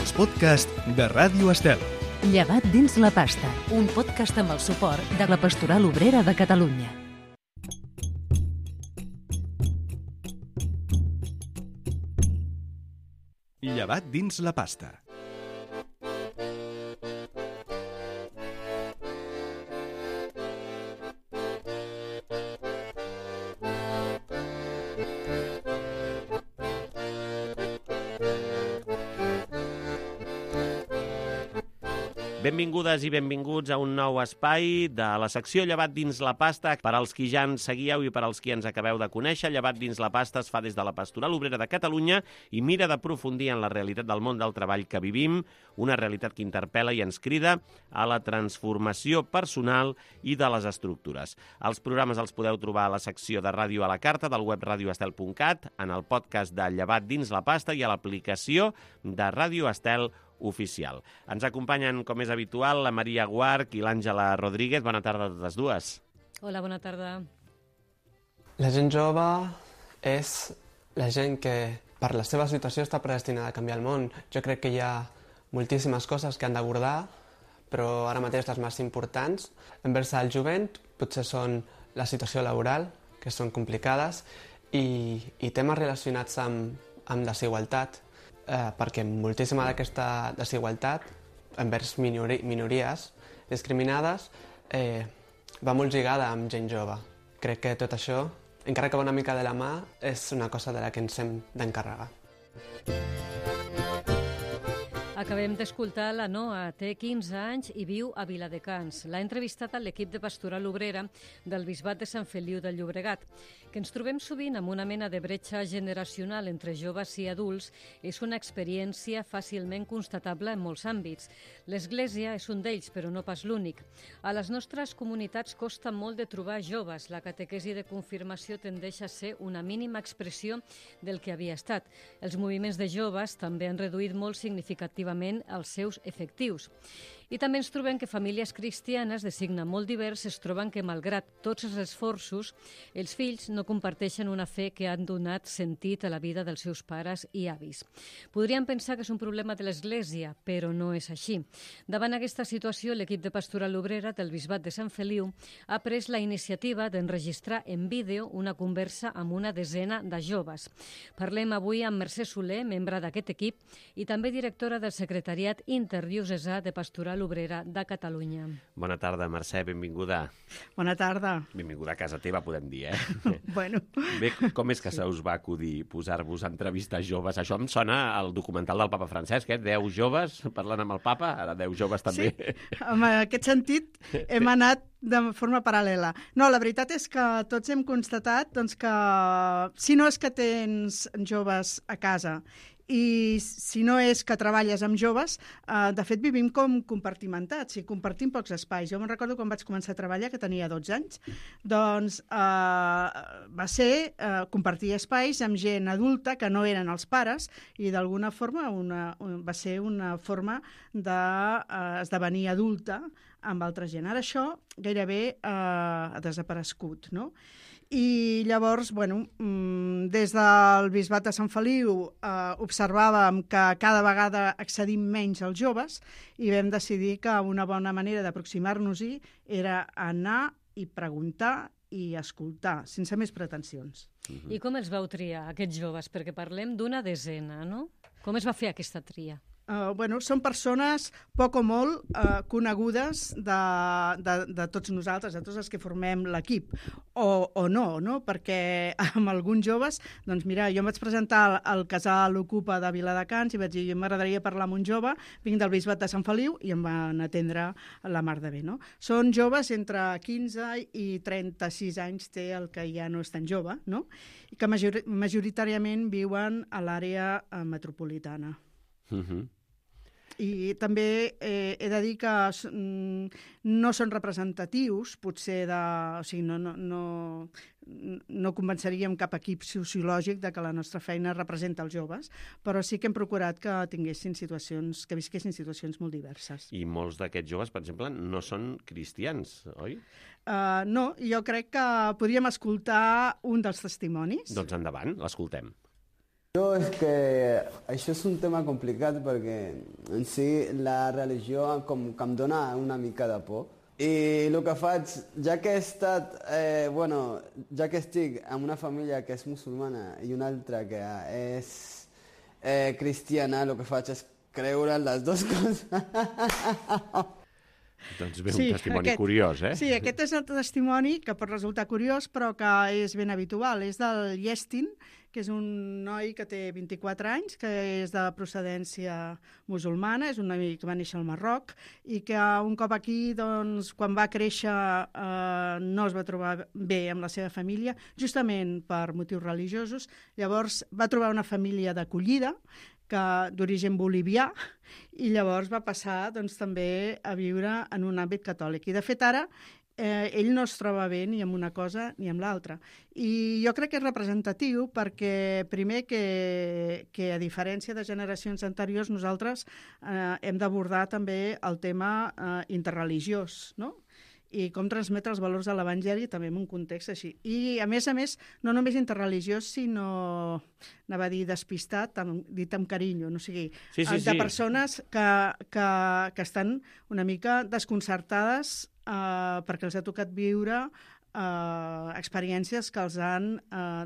els podcasts de Ràdio Estel. Llevat dins la pasta, un podcast amb el suport de la Pastoral Obrera de Catalunya. Llevat dins la pasta. Benvingudes i benvinguts a un nou espai de la secció Llevat dins la pasta. Per als qui ja ens seguieu i per als qui ens acabeu de conèixer, Llevat dins la pasta es fa des de la Pastoral Obrera de Catalunya i mira d'aprofundir en la realitat del món del treball que vivim, una realitat que interpel·la i ens crida a la transformació personal i de les estructures. Els programes els podeu trobar a la secció de ràdio a la carta del web radioestel.cat, en el podcast de Llevat dins la pasta i a l'aplicació de Ràdio Estel oficial. Ens acompanyen, com és habitual, la Maria Guarch i l'Àngela Rodríguez. Bona tarda a totes dues. Hola, bona tarda. La gent jove és la gent que, per la seva situació, està predestinada a canviar el món. Jo crec que hi ha moltíssimes coses que han d'abordar, però ara mateix les més importants envers el jovent potser són la situació laboral, que són complicades, i temes relacionats amb desigualtat, perquè moltíssima d'aquesta desigualtat envers minories discriminades va molt lligada amb gent jove. Crec que tot això, encara que va una mica de la mà, és una cosa de la que ens hem d'encarregar. Acabem d'escoltar la Noa, té 15 anys i viu a Viladecans. L'ha entrevistat a l'equip de Pastoral Obrera del Bisbat de Sant Feliu de Llobregat. Que ens trobem sovint amb una mena de bretxa generacional entre joves i adults és una experiència fàcilment constatable en molts àmbits. L'Església és un d'ells, però no pas l'únic. A les nostres comunitats costa molt de trobar joves. La catequesi de confirmació tendeix a ser una mínima expressió del que havia estat. Els moviments de joves també han reduït molt significativament els seus efectius. I també ens trobem que famílies cristianes de signe molt divers es troben que, malgrat tots els esforços, els fills no comparteixen una fe que han donat sentit a la vida dels seus pares i avis. Podríem pensar que és un problema de l'Església, però no és així. Davant aquesta situació, l'equip de Pastoral Obrera del Bisbat de Sant Feliu ha pres la iniciativa d'enregistrar en vídeo una conversa amb una desena de joves. Parlem avui amb Mercè Soler, membre d'aquest equip, i també directora del Secretariat Interdiocesà de Pastoral Obrera de Catalunya. Bona tarda, Mercè, benvinguda. Bona tarda. Benvinguda a casa teva, podem dir, Bueno. Bé, com és que se us va acudir posar-vos a entrevistar joves? Això em sona al documental del papa Francesc, 10 joves parlant amb el papa, ara 10 joves també. Sí, en aquest sentit hem anat de forma paral·lela. No, la veritat és que tots hem constatat doncs, que si no és que tens joves a casa i si no és que treballes amb joves, de fet vivim com compartimentats i compartim pocs espais. Jo me'n recordo quan vaig començar a treballar, que tenia 12 anys, doncs va ser compartir espais amb gent adulta que no eren els pares i d'alguna forma va ser una forma d'esdevenir adulta amb altra gent. Ara això gairebé ha desaparegut, no? I llavors, des del Bisbat de Sant Feliu observàvem que cada vegada accedim menys als joves i vam decidir que una bona manera d'aproximar-nos-hi era anar i preguntar i escoltar, sense més pretensions. I com els vau triar, aquests joves? Perquè parlem d'una desena, no? Com es va fer aquesta tria? Són persones poc o molt conegudes de tots nosaltres, de tots els que formem l'equip, o no? Perquè amb alguns joves, doncs mira, jo em vaig presentar al casal Ocupa de Viladecans i vaig dir, m'agradaria parlar amb un jove, vinc del Bisbat de Sant Feliu, i em van atendre la mar de bé, no? Són joves entre 15 i 36 anys, té el que ja no és tan jove, no? I que majoritàriament viuen a l'àrea metropolitana. I també he de dir que no són representatius, potser o sigui, no convenceríem cap equip sociològic de que la nostra feina representa els joves, però sí que hem procurat que visquessin situacions molt diverses. I molts d'aquests joves, per exemple, no són cristians, oi? No, jo crec que podríem escoltar un dels testimonis. Doncs endavant, l'escoltem. És que això és un tema complicat perquè en si la religió com que em dona una mica de por. I el que faig, ja que ja que estic en una família que és musulmana i una altra que és cristiana, el que faig és creure les dues coses. Doncs bé, un testimoni curiós, eh? Sí, aquest és el testimoni que pot resultar curiós, però que és ben habitual. És del Yestin, que és un noi que té 24 anys, que és de procedència musulmana, és un noi que va néixer al Marroc i que un cop aquí, doncs, quan va créixer, no es va trobar bé amb la seva família, justament per motius religiosos. Llavors va trobar una família d'acollida d'origen bolivià, i llavors va passar doncs, també a viure en un àmbit catòlic. I de fet ara ell no es troba bé ni amb una cosa ni amb l'altra. I jo crec que és representatiu perquè, primer, que a diferència de generacions anteriors, nosaltres hem d'abordar també el tema interreligiós, no? I com transmetre els valors de l'Evangeli també en un context així. I, a més, no només interreligiós, sinó, anava a dir despistat, dit amb carinyo, no sigui, de persones que estan una mica desconcertades perquè els ha tocat viure experiències que els han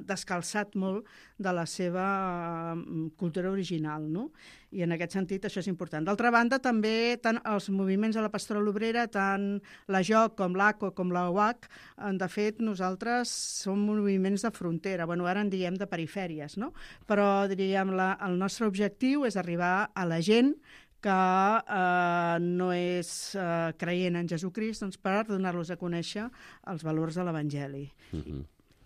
descalçat molt de la seva cultura original, no? I en aquest sentit això és important. D'altra banda, també tant els moviments de la Pastoral Obrera, tant la JOC com l'ACO com la UAC, de fet, nosaltres som moviments de frontera, ara en diem de perifèries, no? Però, diríem, el nostre objectiu és arribar a la gent que no és creient en Jesucrist, doncs per donar-los a conèixer els valors de l'Evangeli.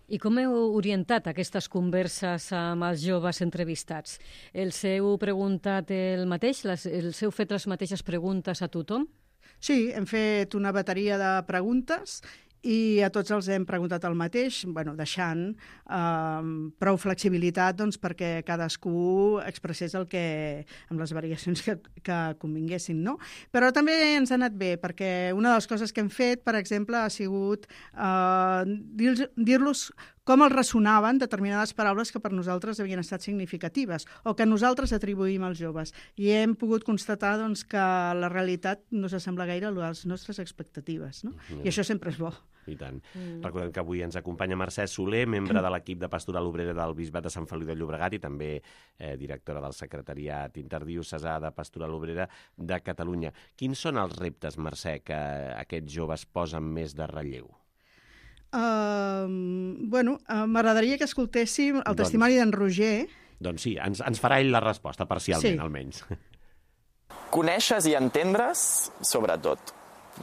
I com heu orientat aquestes converses amb els joves entrevistats? Els heu preguntat el mateix? Els heu fet les mateixes preguntes a tothom? Sí, hem fet una bateria de preguntes i a tots els hem preguntat el mateix, deixant prou flexibilitat perquè cadascú expressés el que, amb les variacions que convinguessin, no? Però també ens ha anat bé, perquè una de les coses que hem fet, per exemple, ha sigut dir-los com els ressonaven determinades paraules que per nosaltres havien estat significatives o que nosaltres atribuïm als joves. I hem pogut constatar que la realitat no s'assembla gaire a les nostres expectatives, no? I això sempre és bo. I tant. Recordem que avui ens acompanya Mercè Soler, membre de l'equip de Pastoral Obrera del Bisbat de Sant Feliu de Llobregat i també directora del Secretariat Interdiocesà de Pastoral Obrera de Catalunya. Quins són els reptes, Mercè, que aquests joves posen més de relleu? M'agradaria que escoltéssim el testimoni d'en Roger. Doncs sí, ens farà ell la resposta, parcialment, almenys. Conèixer-nos i entendre's, sobretot.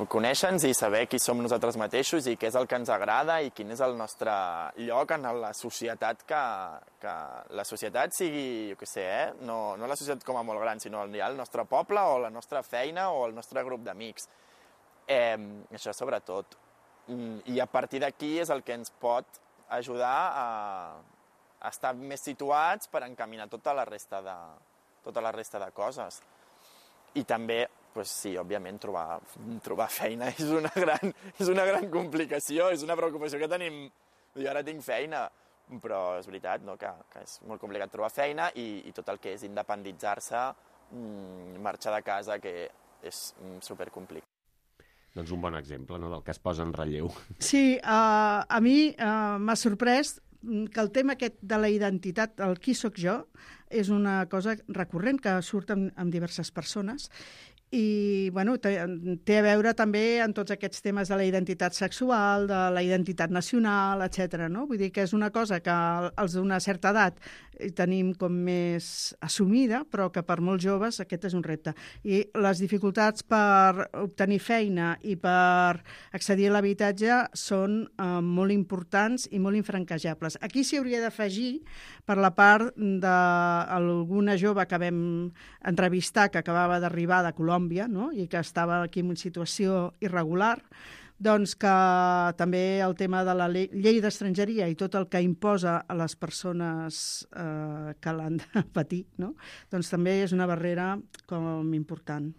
Conèixer-nos i saber qui som nosaltres mateixos i què és el que ens agrada i quin és el nostre lloc en la societat, que la societat sigui, jo què sé, no la societat com a molt gran, sinó el nostre poble o la nostra feina o el nostre grup d'amics. Això sobretot. I a partir d'aquí és el que ens pot ajudar a estar més situats per encaminar tota la resta de coses. I també, sí, òbviament, trobar feina és una gran complicació, és una preocupació que tenim. Jo ara tinc feina, però és veritat que és molt complicat trobar feina i tot el que és independitzar-se, marxar de casa, que és supercomplicat. Doncs un bon exemple, no?, del que es posa en relleu. Sí, a mi m'ha sorprès que el tema aquest de la identitat, el qui sóc jo, és una cosa recurrent que surt amb diverses persones i té a veure també amb tots aquests temes de la identitat sexual, de la identitat nacional, etc. No? Vull dir que és una cosa que els d'una certa edat tenim com més assumida, però que per molts joves aquest és un repte. I les dificultats per obtenir feina i per accedir a l'habitatge són molt importants i molt infranquejables. Aquí s'hi hauria d'afegir, per la part d'alguna jove que vam entrevistar que acabava d'arribar de Colòmbia, no? I que estava aquí en una situació irregular, doncs que també el tema de la llei d'estrangeria i tot el que imposa a les persones que l'han de patir, no? Doncs també és una barrera com important.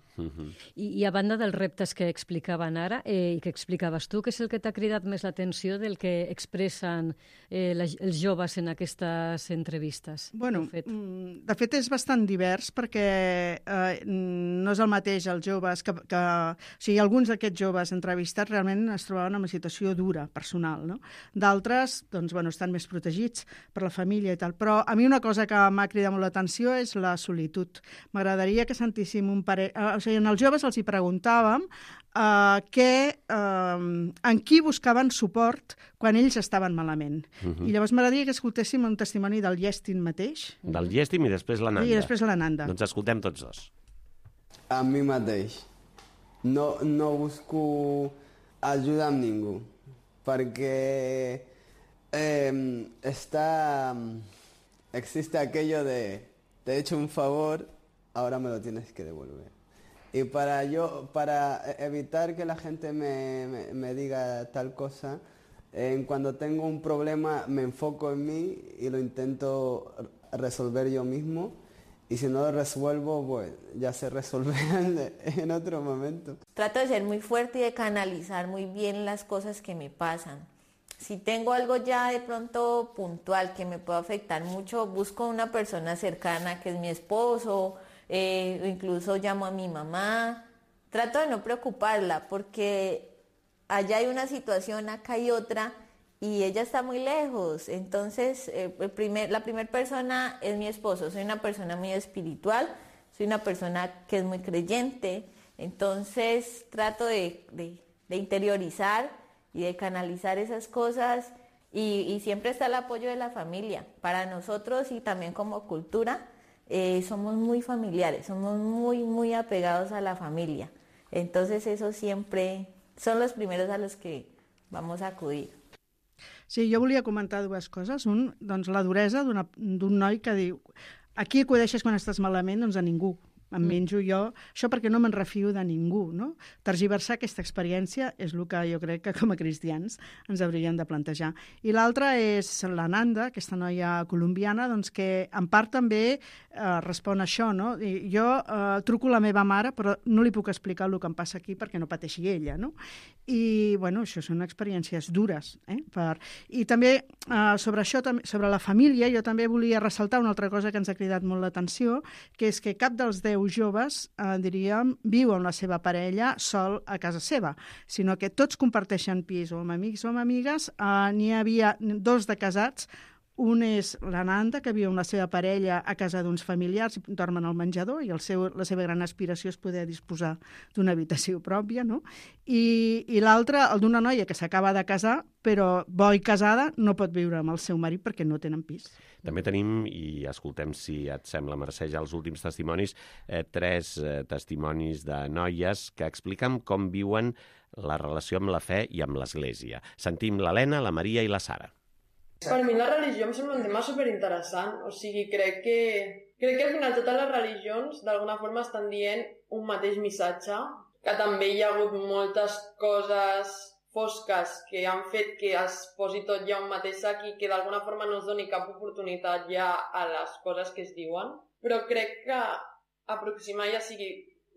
I a banda dels reptes que explicaven ara i que explicaves tu, què és el que t'ha cridat més l'atenció del que expressen els joves en aquestes entrevistes? Bueno, de fet és bastant divers perquè no és el mateix els joves o sigui, alguns d'aquests joves entrevistats realment es trobaven en una situació dura, personal, no? D'altres, doncs, bueno, estan més protegits per la família i tal. Però a mi una cosa que m'ha cridat molt l'atenció és la solitud. M'agradaria que sentíssim un parell... O sigui, als joves els hi preguntàvem en qui buscaven suport quan ells estaven malament. I llavors m'agradaria que escoltéssim un testimoni del Iestin mateix. Del Iestin i després l'Ananda. I després l'Ananda. Doncs escoltem tots dos. A mi mateix. No busco ajuda amb ningú, perquè existe aquello de te he hecho un favor, ahora me lo tienes que devolver. Y para evitar que la gente me diga tal cosa, cuando tengo un problema me enfoco en mí y lo intento resolver yo mismo. Y si no lo resuelvo, pues ya se resolverá en otro momento. Trato de ser muy fuerte y de canalizar muy bien las cosas que me pasan. Si tengo algo ya de pronto puntual que me pueda afectar mucho, busco una persona cercana que es mi esposo, incluso llamo a mi mamá. Trato de no preocuparla porque allá hay una situación, acá hay otra y ella está muy lejos. Entonces la primera persona es mi esposo. Soy una persona muy espiritual, soy una persona que es muy creyente. Entonces trato de interiorizar y de canalizar esas cosas y siempre está el apoyo de la familia. Para nosotros y también como cultura somos muy familiares, somos muy apegados a la familia. Entonces eso siempre son los primeros a los que vamos a acudir. Sí, jo volia comentar dues coses. Un, doncs la duresa d'un noi que diu a qui acudeixes quan estàs malament? Doncs a ningú. Em menjo jo, això perquè no me'n refio de ningú, no? Tergiversar aquesta experiència és el que jo crec que com a cristians ens hauríem de plantejar. I l'altra és l'Ananda, aquesta noia colombiana, doncs que en part també respon a això, no? Jo truco a la meva mare, però no li puc explicar el que em passa aquí perquè no pateixi ella, no? I, bueno, això són experiències dures, I també sobre això, sobre la família, jo també volia ressaltar una altra cosa que ens ha cridat molt l'atenció, que és que cap dels 10 joves, diríem, viu amb la seva parella sol a casa seva, sinó que tots comparteixen pis, o amb amics o amb amigues. N'hi havia 2 de casats. Un és l'Ananda, que viu amb la seva parella a casa d'uns familiars, dormen al menjador, i la seva gran aspiració és poder disposar d'una habitació pròpia, no? I l'altre, el d'una noia que s'acaba de casar, però bo i casada, no pot viure amb el seu marit perquè no tenen pis. També tenim, i escoltem si et sembla, Mercè, ja els últims testimonis, 3 testimonis de noies que expliquen com viuen la relació amb la fe i amb l'Església. Sentim l'Helena, la Maria i la Sara. Per mi la religió em sembla un tema superinteressant. O sigui, crec que al final totes les religions d'alguna forma estan dient un mateix missatge, que també hi ha hagut moltes coses fosques que han fet que es posi tot ja un mateix sac i que d'alguna forma no es doni cap oportunitat ja a les coses que es diuen. Però crec que aproximar, ja sigui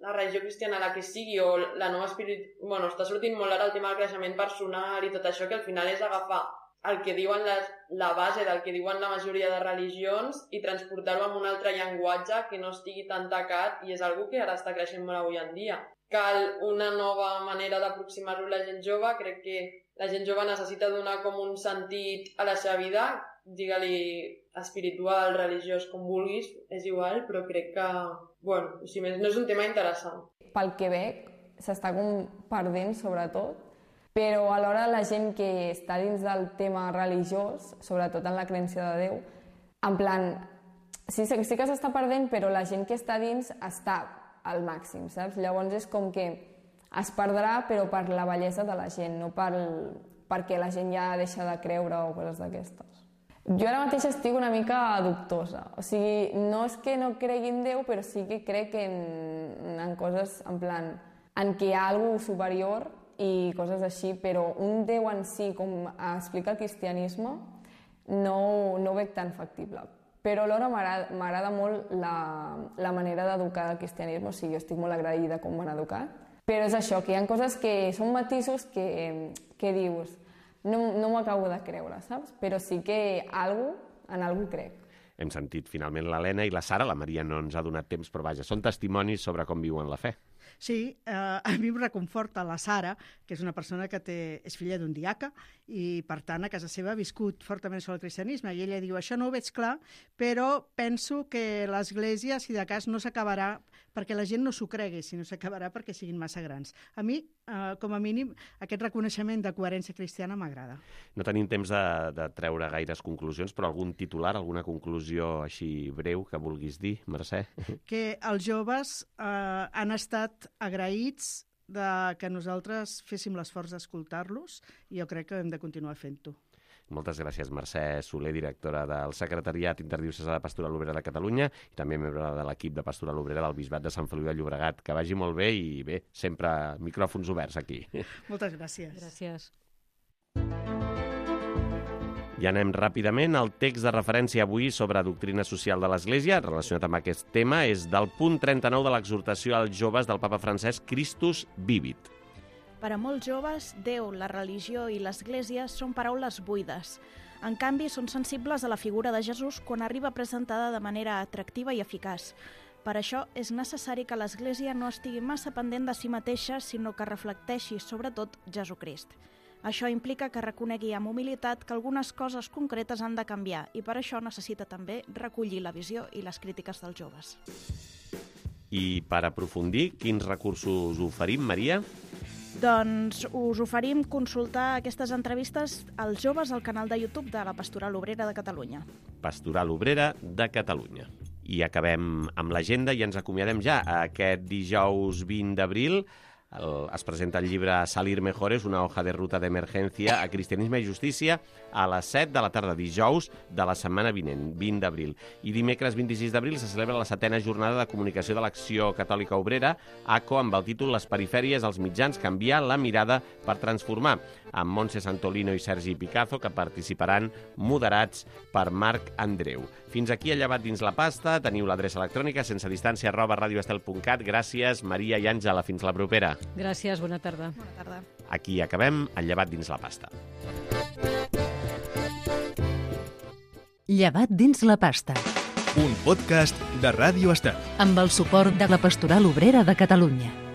la religió cristiana, la que sigui, o la nova Bueno, està sortint molt ara el tema del creixement personal i tot això, que al final és agafar el que diuen la base del que diuen la majoria de religions i transportar-ho amb un altre llenguatge que no estigui tan tacat, i és algo que ara està creixent molt avui en dia. Cal una nova manera d'aproximar-lo a la gent jove. Crec que la gent jove necessita donar com un sentit a la seva vida, digue-li espiritual, religiós, com vulguis, és igual, però crec que, bueno, si més no és un tema interessant. Pel que veig, s'està perdent, sobretot, però alhora la gent que està dins del tema religiós, sobretot en la creença de Déu, en plan, sí que s'està perdent, però la gent que està dins està al màxim, saps? Llavors és com que es perdrà, però per la bellesa de la gent, no perquè la gent ja deixa de creure o coses d'aquestes. Jo ara mateix estic una mica dubtosa. O sigui, no és que no cregui en Déu, però sí que crec en coses, en plan, en què hi ha alguna superior i coses així, però un Déu en si, com explica el cristianisme, no ho veig tan factible. Però alhora m'agrada molt la manera d'educar del cristianisme, o sigui, jo estic molt agraïda com m'han educat. Però és això, que hi ha coses que són matisos que dius, no m'ho acabo de creure, saps? Però sí que en algú crec. Hem sentit finalment l'Helena i la Sara, la Maria no ens ha donat temps, però vaja, són testimonis sobre com viuen la fe. Sí, a mi em reconforta la Sara, que és una persona que és filla d'un diaca i, per tant, a casa seva ha viscut fortament sobre el cristianisme. I ella diu, això no ho veig clar, però penso que l'Església, si de cas, no s'acabarà perquè la gent no s'ho cregui, sinó s'acabarà perquè siguin massa grans. A mi, com a mínim, aquest reconeixement de coherència cristiana m'agrada. No tenim temps de treure gaires conclusions, però algun titular, alguna conclusió així breu que vulguis dir, Mercè? Que els joves han estat agraïts que nosaltres féssim l'esforç d'escoltar-los i jo crec que hem de continuar fent-ho. Moltes gràcies, Mercè Soler, directora del Secretariat Interdiocesà de Pastoral Obrera de Catalunya i també membre de l'equip de Pastoral Obrera del Bisbat de Sant Feliu de Llobregat. Que vagi molt bé i bé, sempre micròfons oberts aquí. Moltes gràcies. Gràcies. I anem ràpidament. El text de referència avui sobre doctrina social de l'Església, relacionat amb aquest tema, és del punt 39 de l'exhortació als joves del papa Francesc Christus Vivit. Per a molts joves, Déu, la religió i l'Església són paraules buides. En canvi, són sensibles a la figura de Jesús quan arriba presentada de manera atractiva i eficaç. Per això és necessari que l'Església no estigui massa pendent de si mateixa, sinó que reflecteixi, sobretot, Jesucrist. Això implica que reconegui amb humilitat que algunes coses concretes han de canviar i per això necessita també recollir la visió i les crítiques dels joves. I per aprofundir, quins recursos oferim, Maria? Doncs us oferim consultar aquestes entrevistes als joves al canal de YouTube de la Pastoral Obrera de Catalunya. Pastoral Obrera de Catalunya. I acabem amb l'agenda i ens acomiadem ja. Aquest dijous 20 d'abril es presenta el llibre Salir Mejores, una hoja de ruta d'emergència a cristianisme i justícia a les 7 de la tarda, dijous de la setmana vinent, 20 d'abril. I dimecres 26 d'abril se celebra la 7ª jornada de comunicació de l'Acció Catòlica Obrera, ACO, amb el títol Les perifèries als mitjans, canviar la mirada per transformar, amb Montse Santolino i Sergi Picazo, que participaran moderats per Marc Andreu. Fins aquí a Llevat dins la pasta. Teniu l'adreça electrònica sensedistància@radioestel.cat. Gràcies, Maria i Àngela. Fins la propera. Gràcies, bona tarda. Bona tarda. Aquí acabem el Llevat dins la pasta. Llevat dins la pasta. Un podcast de Ràdio Estel. Amb el suport de la Pastoral Obrera de Catalunya.